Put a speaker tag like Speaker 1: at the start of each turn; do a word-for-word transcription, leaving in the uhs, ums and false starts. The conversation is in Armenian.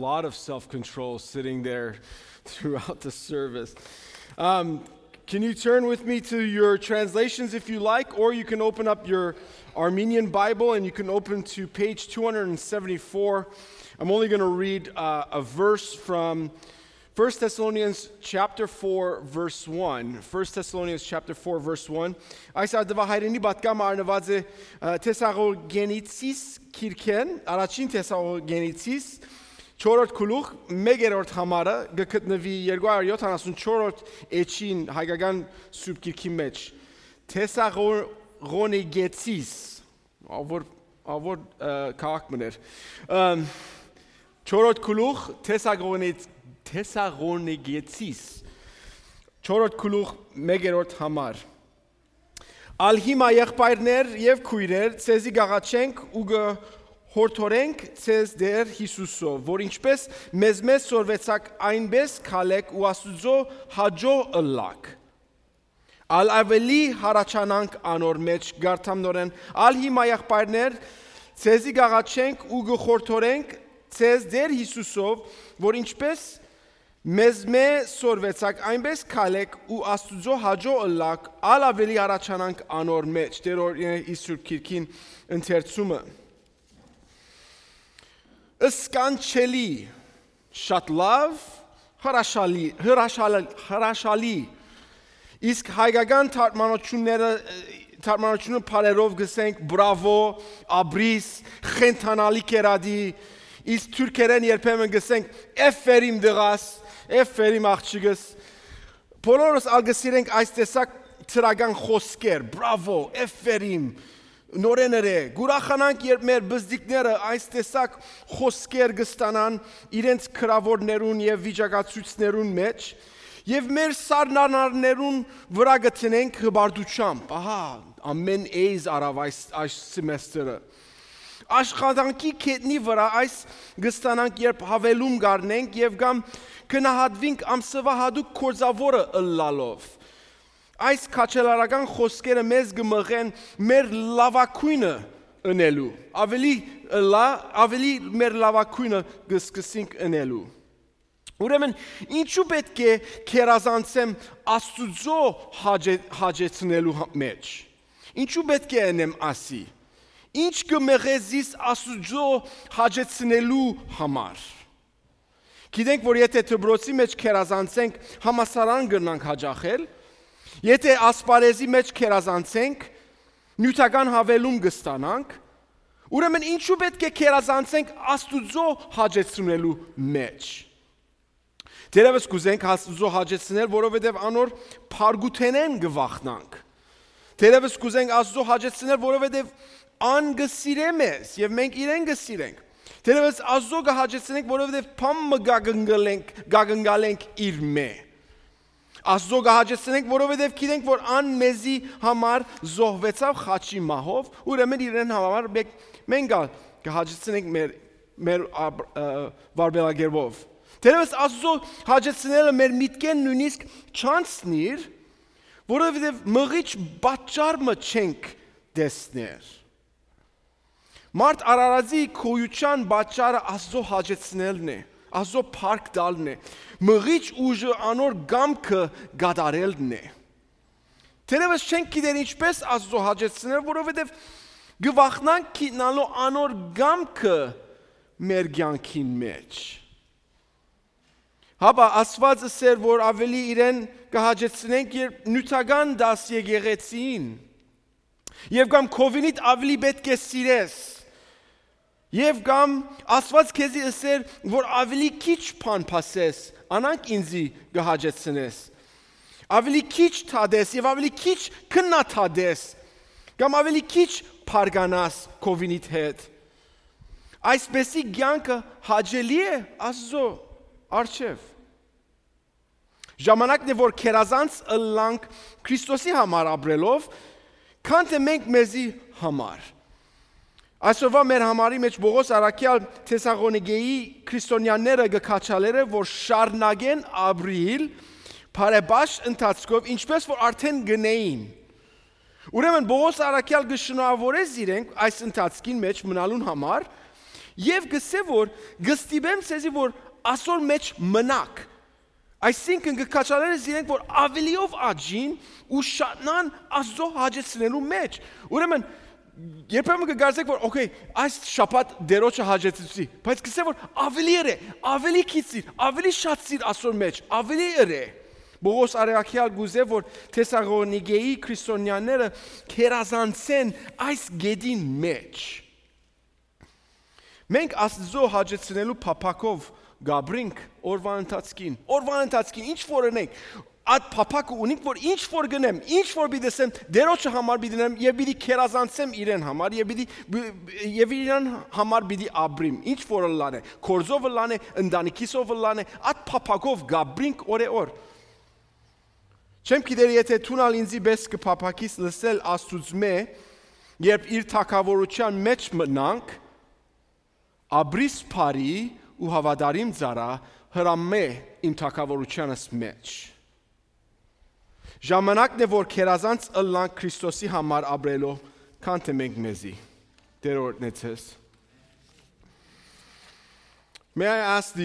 Speaker 1: A lot of self-control sitting there throughout the service. Um, can you turn with me to your translations if you like, or you can open up your Armenian Bible and you can open to page two seventy-four. I'm only going to read uh, a verse from First Thessalonians chapter four verse one. First Thessalonians chapter four verse one. Այս ադվա հայրենի բատկամ արնված է Թեսաղոնիկից քիրքեն, առաջին Թեսաղոնիկից չորրորդ գլուխ մեկերորդ համարը գտնվի երկու հարյուր յոթանասունչորրորդ էջին հայկական սուրբ գիրքի մեջ։ Թեսաղոնիկից ավոր ավոր քաղաք մներ։ Չորրորդ գլուխ Թեսաղոնիկից Թեսաղոնիկից չորրորդ գլուխ մեկերորդ համար։ Ալ հիմա եղբայրներ եւ քույրեր, ցեզի գաղաչենք ու հորթորենք ցեզ դեր Հիսուսով, որ ինչպես մեզ մեզ սորվեցակ այնպես քալեք ու Աստուծո հաջո ըլլակ։ Ալ ավելի հարաճանանք անոր մեջ գարտամնորեն, ալ հիմա եղբայրներ, ցեզի գաղաչենք ու գխորթորենք ցեզ դեր Հիսուսով, որ ինչպես մեզ մեզ սորվեցակ այնպես քալեք ու Աստուծո հաջո ըլլակ, ալ ավելի հարաճանանք անոր մեջ։ Տեր Իսուր քիրքին ընթերցումը Սկանչելի, շատ լավ, հրաշալի, հրաշալի, հրաշալի, իսկ հայկական թարգմանությունները թարգմանությունը բարերով գսենք բրավո, աբրիս, խենթանալի կերադի, իսկ թուրքերեն երբեմն գսենք էֆերիմ դղաս, էֆերիմ աղջիկս, բոլորս ալգսիրենք այս տեսակ թրագան խոսքեր, բրավո, էֆերիմ, նորեները գուրախանանք երբ մեր բզդիկները այս տեսակ խոսքեր գստանան իրենց քրավորներուն եւ վիճակացույցներուն մեջ եւ մեր սառնանարներուն վրա գտնենք հբարդությամբ ահա ամեն էյզ արավ այս այս սեմեստրը աշխատանքի կետնի վրա այս գստանանք երբ հավելում գարնենք եւ կամ կնահատվենք ամսվա հadouk կորզավորը ըլլալով Այս քաչելարական խոսքերը մեզ գմղեն մեր լավակույնը ընելու, ավելի լա, ավելի մեր լավակույնը գսկսենք ընելու։ Ուրեմն, ինչու պետք է քերազանցեմ Աստուծո հաջեցնելու մեջ։ Ինչու պետք է անեմ ասի։ Ինչ կմեղեզիս Աստուծո հաջեցնելու համար։ Գիտենք, որ եթե դբրոցի մեջ քերազանցենք, համասարան կգնանք հաջախել Եթե ասպարեզի մեջ քերազանցենք, նյութական հավելում կստանանք, ուրեմն ինչու պետք է քերազանցենք Աստուծո հաջեցնելու մեջ։ Դերևս կուզենք Աստուծո հաջեցնել, որովհետև անոր փարգութենեն գվախնանք։ Դերևս կուզենք Աստուծո հաջեցնել, որովհետև ան գսիրե մեզ եւ մենք իրեն գսիրենք։ Դերևս Աստուծո կհաջեցնենք, որովհետև փամը գագնգալենք, գագնգալենք իր մե։ Աստծո գահաջեցնենք, որովհետև գիտենք, որ ան մեզի համար զոհվեցավ խաչի մահով, ուրեմն իրեն համար մենք գահաջեցնենք մեր մեր վարբելագերբով։ Դերևս Աստծո հաջեցնելը մեր միտքեն նույնիսկ չանցնիր, որովհետև մղիչ պատճառը չենք տեսներ։ Մարդ արարածի քոյության պատճառը Աստծո հաջեցնելն է։ Աստծո փառք տալն է, մղիչ ուժը անոր գամքը գադարելն է։ Թերևս չենք գիտեր ինչպես Աստծո հաջեցնել, որովհետև գվախնանք գիտնալու անոր գամքը մեր կյանքին մեջ։ Հապա Աստվածը սեր, որ ավելի իրեն կհաջեցնենք, երբ նյութական դաս եկեղեցին, եւ կամ քովինիդ ավելի պետք է սիրես։ Եվ կամ Աստված քեզի ասեր, որ ավելի քիչ բան փասես, անանք ինձի գահաջեցնես։ Ավելի քիչ թադես եւ ավելի քիչ քննաթադես, կամ ավելի քիչ փարգանաս քովինիդ հետ։ Այսպեսի կյանքը հաճելի է Աստծո առջև։ Ժամանակն է, որ քերազանց ըլլանք Քրիստոսի համար ապրելով, քան թե մենք մեզի համար։ Այսօրվա մեր համարի մեջ Պողոս առաքյալ Թեսաղոնիկեի քրիստոնյաները գքաչալերը, որ շարնագեն ապրիլ բարեբաշխ ընթացքով, ինչպես որ արդեն գնեին։ Ուրեմն Պողոս առաքյալ գշնորհավորեց իրենք այս ընթացքին մեջ մնալուն համար Եվ գսե որ գստիբեմ ցեզի որ ասոր մեջ մնաք։ Այսինքն գկաչաներս իրենք որ ավելիով աճին ու շատնան Աստծո հաճեցնելու մեջ։ Ուրեմն երբեմն կգարձեք որ օքեյ այս շաբաթ դերոջը հաճեցի, բայց գսե որ ավելի է, ավելի քիծիր, ավելի շատցիր Աստծո մեջ, ավելի է։ Բողոս Արեակյալ գուզե որ Թեսաղոնիկեի քրիստոնյաները քերազանցեն այս գեդին մեջ։ Մենք Աստծո հաճեցնելու փափակով գաբրինք օրվան ընթացքին, օրվան ընթացքին ինչ որ ունենք, այդ փափակը ունենք որ ինչ որ գնեմ, ինչ որ բիդեսեմ, դերոջը համար բիդնեմ եւ բիդի քերազանցեմ իրեն համար եւ բիդի եւ իրան համար բիդի աբրիմ, ինչ որ լանե, կորզով լանե, ընտանիքիսով լանե, այդ փափակով գաբրինք օրեօր։ Չեմ գիտեր եթե թունալ ինձի պես կփափակիս լսել Աստուծմե, երբ իր թակավորության մեջ մնանք, աբրիս բարի ու հավատարիմ ծառա հրամե իմ թակավորությանս մեջ։ Ժամանակն է որ քերազանց ըլլանք Քրիստոսի համար ապրելով, քան թե մենք մեզի։ Տեր օրհնեցես։ May I ask the